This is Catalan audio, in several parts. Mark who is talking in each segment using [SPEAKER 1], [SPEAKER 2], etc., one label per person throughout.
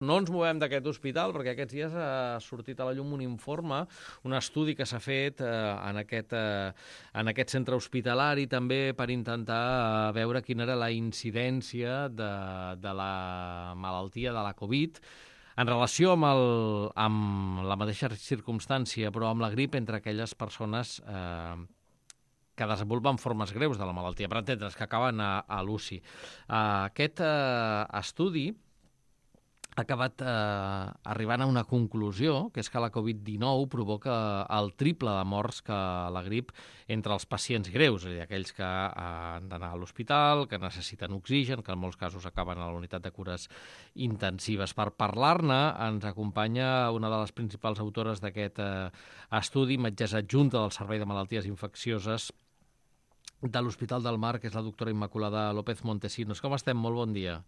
[SPEAKER 1] No ens movem d'aquest hospital perquè aquests dies ha sortit a la llum un informe, un estudi que s'ha fet en aquest centre hospitalari també per intentar veure quina era la incidència de la malaltia de la Covid en relació amb la mateixa circumstància, però amb la grip entre aquelles persones que desenvolupen formes greus de la malaltia, per entendre's, que acaben a l'UCI. Aquest estudi ha acabat arribant a una conclusió, que és que la Covid-19 provoca el triple de morts que la grip entre els pacients greus, és a dir, aquells que han d'anar a l'hospital, que necessiten oxigen, que en molts casos acaben a la unitat de cures intensives. Per parlar-ne ens acompanya una de les principals autores d'aquest estudi, metgessa adjunta del Servei de Malalties Infeccioses de l'Hospital del Mar, que és la doctora Immaculada López Montesinos. Com estem? Molt bon dia.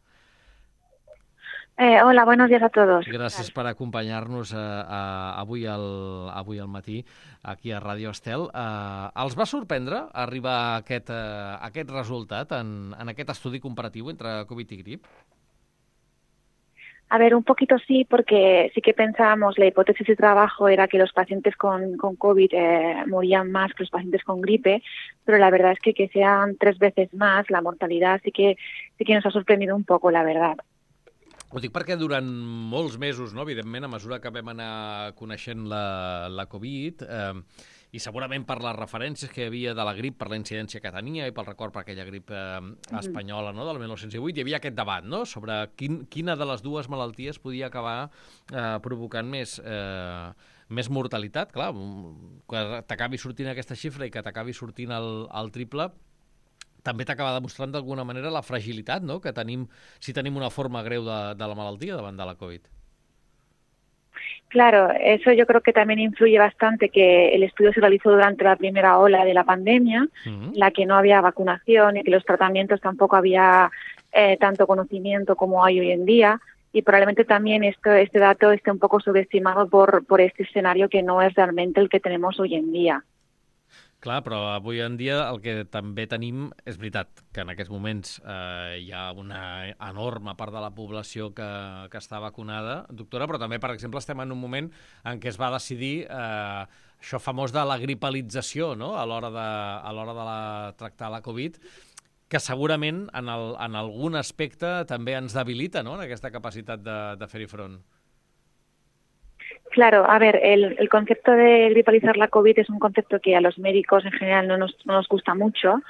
[SPEAKER 2] Hola, buenos días a todos.
[SPEAKER 1] Gràcies per acompanyar-nos avui al matí aquí a Ràdio Estel. Els va sorprendre arribar a aquest resultat en aquest estudi comparatiu entre Covid i grip?
[SPEAKER 2] A ver, un poquito sí, porque sí que pensábamos, la hipótesis de trabajo era que los pacientes con COVID morían más que los pacientes con gripe, pero la verdad es que sean 3 veces más, la mortalidad sí que nos ha sorprendido un poco, la verdad.
[SPEAKER 1] Ho dic perquè durant molts mesos, no, evidentment, a mesura que vam anar coneixent la Covid, i segurament per les referències que hi havia de la grip, per la incidència que tenia i pel record per aquella grip espanyola, no, del 1918, hi havia aquest debat, no?, sobre quina de les dues malalties podia acabar provocant més mortalitat. Clar, que t'acabi sortint aquesta xifra i que t'acabi sortint el triple, també t'acaba demostrant d'alguna manera la fragilitat, no?, que tenim si tenim una forma greu de la malaltia davant de la Covid.
[SPEAKER 2] Claro, eso yo creo que también influye bastante, que el estudio se realizó durante la primera ola de la pandemia, en la que no había vacunación y que los tratamientos tampoco había tanto conocimiento como hay hoy en día, y probablemente también este dato esté un poco subestimado por este escenario que no es realmente el que tenemos hoy en día.
[SPEAKER 1] Clar, però avui en dia el que també tenim és veritat que en aquests moments hi ha una enorme part de la població que està vacunada, doctora, però també, per exemple, estem en un moment en què es va decidir això famós de la gripalització, no?, a l'hora de tractar la Covid, que segurament en algun aspecte també ens debilita, no?, en aquesta capacitat de fer-hi front.
[SPEAKER 2] Claro, a ver, el concepto de gripalizar la COVID es un concepto que a los médicos en general no nos gusta mucho.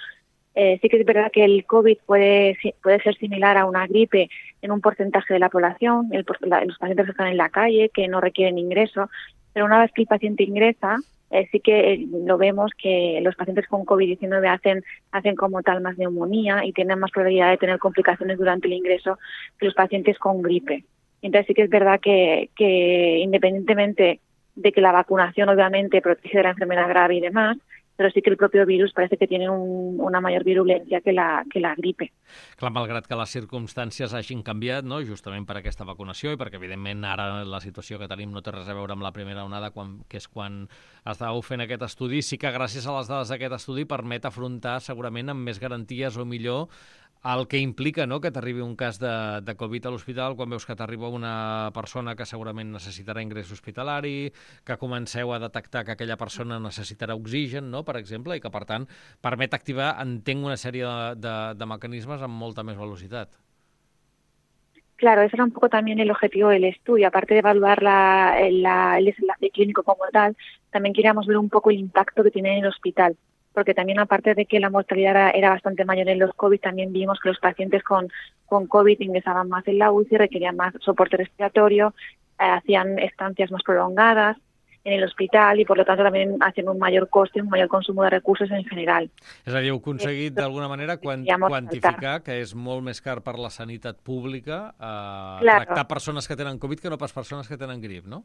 [SPEAKER 2] Sí que es verdad que el COVID puede ser similar a una gripe en un porcentaje de la población, los pacientes que están en la calle, que no requieren ingreso, pero una vez que el paciente ingresa, sí que lo vemos que los pacientes con COVID-19 hacen como tal más neumonía y tienen más probabilidad de tener complicaciones durante el ingreso que los pacientes con gripe. Entonces sí que es verdad que independientemente de que la vacunación obviamente protege de la enfermedad grave y demás, però sí que el propi virus parece que tiene una mayor virulencia que la gripe.
[SPEAKER 1] Clar, malgrat que les circumstàncies hagin canviat, no?, justament per aquesta vacunació i perquè, evidentment, ara la situació que tenim no té res a veure amb la primera onada, que és quan estàveu fent aquest estudi, sí que gràcies a les dades d'aquest estudi permet afrontar segurament amb més garanties o millor el que implica, no?, que t'arribi un cas de Covid a l'hospital, quan veus que t'arriba una persona que segurament necessitarà ingrés hospitalari, que comenceu a detectar que aquella persona necessitarà oxigen, no?, per exemple, i que, per tant, permet activar, entenc, una sèrie de mecanismes amb molta més velocitat.
[SPEAKER 2] Claro, ese era un poco también el objetivo del estudio. Aparte de evaluar el desenlace clínico como tal, también queríamos ver un poco el impacto que tiene en el hospital. Porque también, aparte de que la mortalidad era bastante mayor en los COVID, también vimos que los pacientes con COVID ingresaban más en la UCI, requerían más soporte respiratorio, hacían estancias más prolongadas en el hospital y, por lo tanto, también hacen un mayor coste, un mayor consumo de recursos en general.
[SPEAKER 1] És a dir, heu aconseguit, d'alguna manera, quantificar que és molt més car per la sanitat pública tractar persones que tenen Covid que no pas persones que tenen grip, no?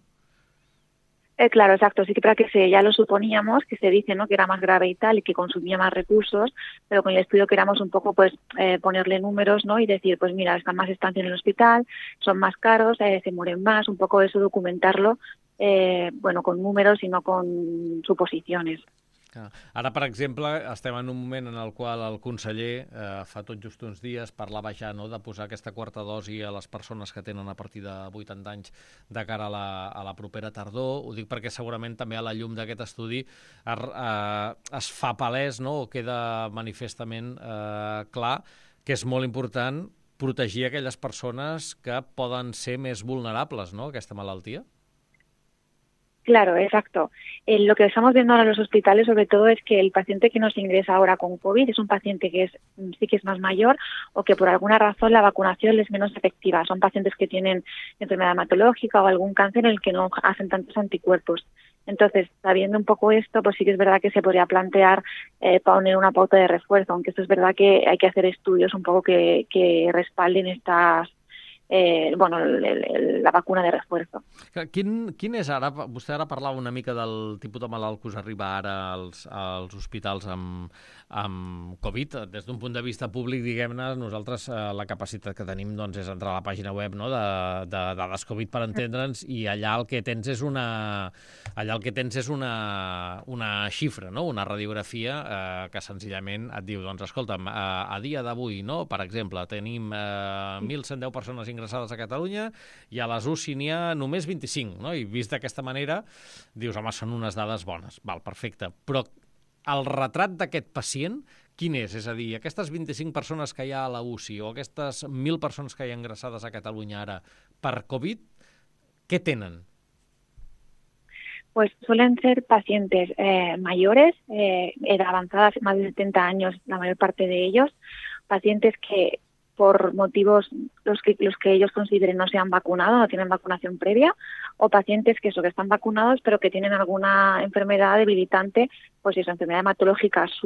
[SPEAKER 2] Claro, exacto. Sí que para ya lo suponíamos, que se dice, ¿no?, que era más grave y tal, y que consumía más recursos, pero con el estudio queríamos un poco pues ponerle números, ¿no?, y decir, pues mira, están más estancia en el hospital, son más caros, se mueren más, un poco eso documentarlo, bueno, con números y no con suposiciones.
[SPEAKER 1] Ara, per exemple, estem en un moment en el qual el conseller, fa tot just uns dies, parlava ja de posar aquesta quarta dosi a les persones que tenen a partir de 80 anys de cara a la propera tardor. Ho dic perquè segurament també a la llum d'aquest estudi es fa palès, o queda manifestament clar que és molt important protegir aquelles persones que poden ser més vulnerables, a aquesta malaltia.
[SPEAKER 2] Claro, exacto. Lo que estamos viendo ahora en los hospitales, sobre todo, es que el paciente que nos ingresa ahora con COVID es un paciente que sí que es más mayor o que por alguna razón la vacunación es menos efectiva. Son pacientes que tienen enfermedad hematológica o algún cáncer en el que no hacen tantos anticuerpos. Entonces, sabiendo un poco esto, pues sí que es verdad que se podría plantear poner una pauta de refuerzo, aunque esto es verdad que hay que hacer estudios un poco que respalden estas la vacuna de refuerzo.
[SPEAKER 1] Quin és ara, vostè ara parlava una mica del tipus de malalt que us arriba ara als hospitals amb Covid. Des d'un punt de vista públic, diguem-ne, nosaltres la capacitat que tenim és entrar a la pàgina web de dades Covid per entendre'ns, i allà el que tens és una xifra, una radiografia que senzillament et diu, doncs escolta'm, a dia d'avui, per exemple, tenim 1.110 persones ingressades a Catalunya i a les UCI n'hi ha només 25, i vist d'aquesta manera dius, home, són unes dades bones, val, perfecte, però el retrat d'aquest pacient quin és? És a dir, aquestes 25 persones que hi ha a la UCI o aquestes 1.000 persones que hi ha ingressades a Catalunya ara per Covid, què tenen?
[SPEAKER 2] Pues suelen ser pacientes mayores, edad avanzada, más de 70 años la mayor parte de ellos, pacientes que por motivos los que ellos consideren no se han vacunado, no tienen vacunación previa, o pacientes que están vacunados pero que tienen alguna enfermedad debilitante, pues eso, enfermedad hematológica es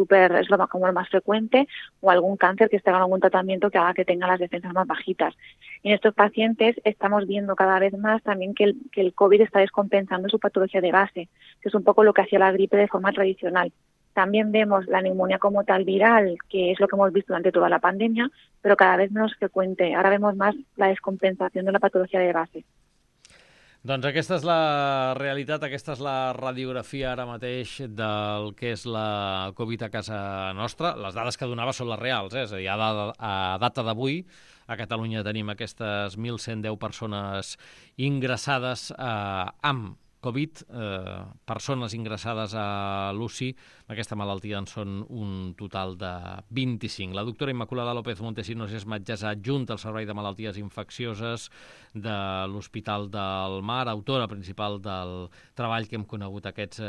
[SPEAKER 2] como el más frecuente, o algún cáncer que esté en algún tratamiento que haga que tenga las defensas más bajitas. Y en estos pacientes estamos viendo cada vez más también que el COVID está descompensando su patología de base, que es un poco lo que hacía la gripe de forma tradicional. También vemos la neumonía como tal viral, que es lo que hemos visto durante toda la pandemia, pero cada vez menos frecuente. Ahora vemos más la descompensación de la patología de base.
[SPEAKER 1] Doncs aquesta és la realitat, aquesta és la radiografia ara mateix del que és la Covid a casa nostra. Les dades que donava són les reals, és a dir, a data d'avui a Catalunya tenim aquestes 1.110 persones ingressades amb Covid, persones ingressades a l'UCI, aquesta malaltia en són un total de 25. La doctora Immaculada López Montesinos és metgessa adjunta al Servei de Malalties Infeccioses de l'Hospital del Mar, autora principal del treball que hem conegut aquests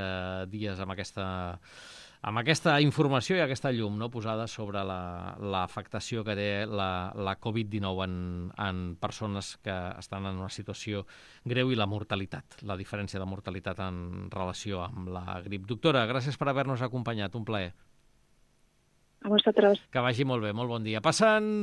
[SPEAKER 1] dies amb aquesta informació i aquesta llum posada sobre l'afectació que té la Covid-19 en persones que estan en una situació greu i la mortalitat, la diferència de mortalitat en relació amb la grip. Doctora, gràcies per haver-nos acompanyat, un plaer.
[SPEAKER 2] A vosotros.
[SPEAKER 1] Que vagi molt bé, molt bon dia. Passen